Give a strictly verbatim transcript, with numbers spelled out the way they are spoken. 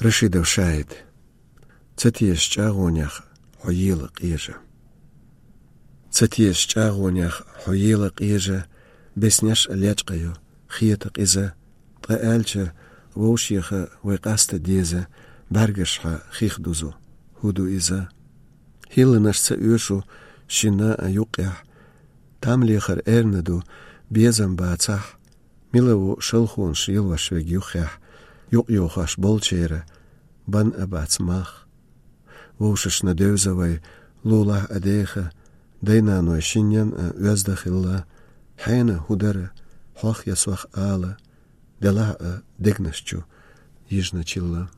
Рашидов Шаид. Ца тешача чӀагӀонех хьо ела къежа. Ца тешача чӀагӀонех хьо ела къежа, беснеш а лечкъайо, хета къиза, ткъа аьлча, вовшеха вай къаста деза, бӀаргашха хих дузу, хӀу ду иза. ХӀилланаш ца оьшу шина а юкъехь, там лехар эрна ду, безам бацахь, мила ву шалхонаш лелош вег юххехь, юкъ йохош болчера, бан а бац мах. Вовшашна девза вай, лулахь а деха, дай-наной шиннен а оьзда хилла, хьена хӀу дара, хьох я сох ала, делахь а дегнаш чу йижначилла.